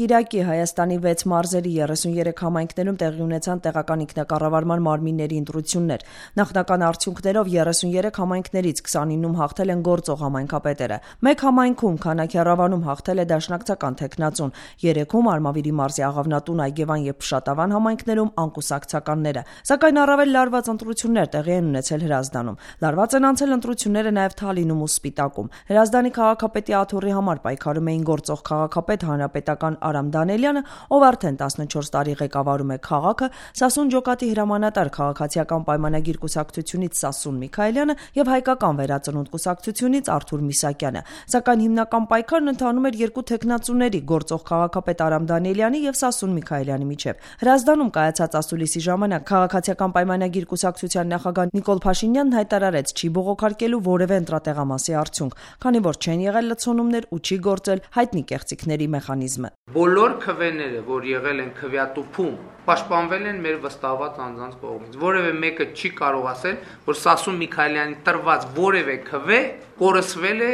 Կիրակի Հայաստանի 6 մարզերի 33 համայնքներում տեղի ունեցան տեղական ինքնակառավարման մարմինների ընտրություններ։ Նախնական արդյունքներով 33 համայնքներից 29-ում հաղթել են գործող համայնքապետերը։ Մեկ համայնքում Քանաքեռավանում հաղթել է դաշնակցական թեկնածուն, 3-ում Արմավիրի մարզի Աղավնատուն, Այգևան եւ Փշատավան համայնքներում անկուսակցականները։ Սակայն առավել լարված ընտրություններ տեղի են ունեցել Հրազդանում։ Լարված են անցել ընտրությունները նաեւ Թալինում ու Սպիտակում։ Հրազդանի քաղաքապետի աթոռի համար պայքարում էին գործող քաղաքապետ հանրապետական Արամ Դանելյանը, ով արդեն 14 տարի ղեկավարում է քաղաքը, Սասուն Ջոկատի հրամանատար քաղաքացիական պայմանագիր կուսակցությունից Սասուն Միքայելյանը եւ հայկական վերածնունդ կուսակցությունից Արթուր Միսակյանը։ Սակայն հիմնական պայքարն ընթանում էր երկու թեկնածուների՝ գործող քաղաքապետ Արամ Դանելյանի եւ Սասուն Միքայելյանի միջեւ։ Հրազդանում կայացած ասուլիսի ժամանակ քաղաքացիական պայմանագիր կուսակցության նախագահ Նիկոլ Փաշինյանն հայտարարեց չի բողոքարկելու որևէ ընտրատեղամասի արդյունք, քանի որ չեն եղել լցոնումներ ու չի գործել հայտնի կեղծիքների մեխանիզմը։ Բոլոր քվեները, որ եղել են քվեատուփում, պաշտպանվել են մեր վստահված անձանց կողմից։ Որևէ մեկը չի կարող ասել, որ Սասուն Միքայելյանի տրված որևէ քվե կորսվել է։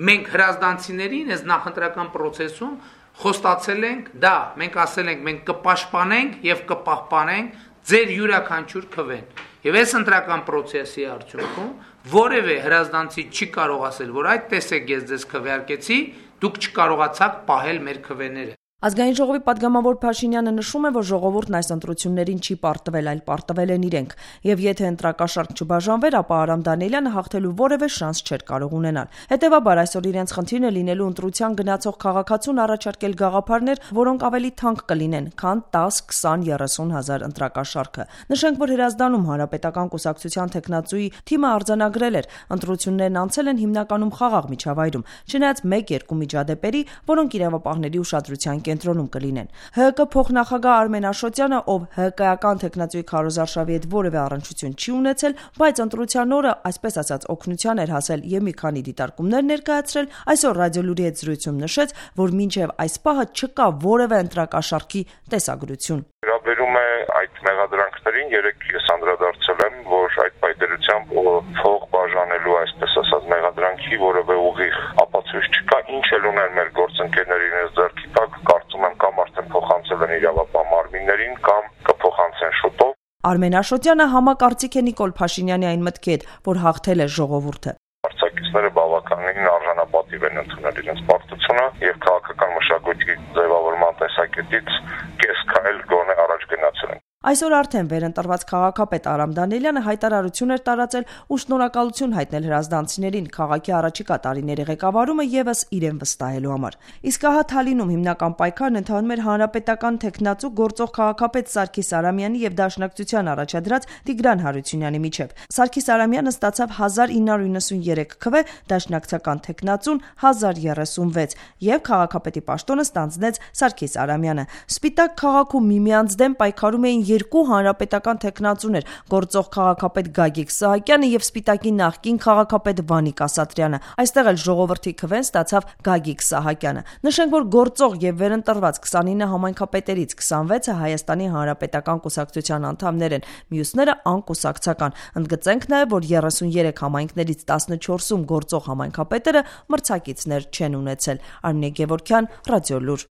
Մենք հրազդանցիներին այս նախընտրական process-ում խոստացել ենք, դա մենք ասել ենք, մենք կպաշտպանենք եւ կպահպանենք ձեր յուրաքանչյուր քվեն։ Եվ այս ընտրական process-ի արդյունքում որևէ հրազդանցի չի կարող ասել, որ այդ տեսեք ես ձեզ քվեարկեցի, դուք չկարողացաք պահել մեր քվեները։ Ազգային ժողովի պատգամավոր Փաշինյանը նշում է, որ ժողովուրդն այս ընտրություններին չի պարտվել, այլ պարտվել են իրենք, եւ եթե ընտրակաշառք չբաժանվեր, ապա Արամ Դանելյանը հաղթելու որևէ շանս չէր կարող ունենալ։ Հետևաբար այսօր իրենց խնդիրն է լինելու ընտրության գնացող քաղաքացուն առաջարկել գաղափարներ, որոնք ավելի թանկ կլինեն, քան 10, 20, 30 հազար ընտրակաշառքը։ Նշենք, որ Հրազդանում հանրապետական կուսակցության թեկնածուի թիմը արձանագրել էր, ընտրություններն անցել են հիմնականում խաղաղ միջավայրում, չնայած 1-2 միջադեպերի, որոնք իրավապահների ուշադրության կենտրոնում կլինեն։ ՀՀԿ փոխնախագահ Արմեն Աշոտյանը, ով ՀԿ-ական թեկնածուի Քարոզարշավի հետ որևէ առնչություն չի ունեցել, բայց ընտրության օրը, այսպես ասած, օգնության էր հասել եւ մի քանի դիտարկումներ ներկայացրել, այսօր Ռադիոլուրի հետ զրույցում նշեց, որ մինչեւ այս պահը չկա որևէ ընտրակաշառքի տեսագրություն։ Վերաբերում է այդ մեղադրանքներին, երեք ես անդրադարձել եմ, որ այդ պայմանությամբ փող բաժանելու, այսպես ասած, մեղադրանքի որևէ ուղիղ ապացույց չկա, ինչ էլ ունեն մեր գործընկերներին այս ձեռքի տակ, կարծում եմ կամ արդեն փոխանցել են իրավապահ մարմիններին, կամ կփոխանցեն շուտով։ Արմեն Աշոտյանը համակարծիք է Նիկոլ Փաշինյանի այն մտքի հետ, որ հաղթել է ժողովուրդը։ Արձակիչները բավականին արժանապատիվ են ընդունել իրենց պարտությունը եւ քաղաքական մշակույթի ձևավորման տեսակետից կես քայլ գոնե առաջ գնացել են։ Այսօր արդեն վերընտրված քաղաքապետ Արամ Դանելյանը հայտարարություն էր տարածել ու շնորհակալություն հայտնել հրազդանցիներին քաղաքի առաջիկա տարիների ղեկավարումը եւս իրեն վստահելու համար։ Իսկ ահա Թալինում հիմնական պայքարն ընթանում էր հանրապետական թեկնածու գործող քաղաքապետ Սարգիս Արամյանի եւ Դաշնակցության առաջադրած Տիգրան Հարությունյանի միջեւ։ Սարգիս Արամյանը ստացավ 1993 քվե, Դաշնակցական թեկնածուն 1036 եւ քաղաքապետի պաշտոնը ստանձնեց Սարգիս Արամյանը։ Սպիտակ քաղաքում միմյանց դեմ պայքարում էին երկու հանրապետական թեկնածուներ՝ գործող քաղաքապետ Գագիկ Սահակյանը եւ Սպիտակի նախկին քաղաքապետ Վանիկ Ասատրյանը։ Այստեղ էլ ժողովրդի քվեն ստացավ Գագիկ Սահակյանը։ Նշենք, որ գործող եւ վերընտրված 29 համայնքապետերից 26-ը Հայաստանի հանրապետական կուսակցության անդամներ են, մյուսները անկուսակցական։ Ընդգծենք նաեւ, որ 33 համայնքներից 14-ում գործող համայնքապետերը մրցակիցներ չեն ունեցել։ Արմինե Գևորգյան, Ռադիոլուր։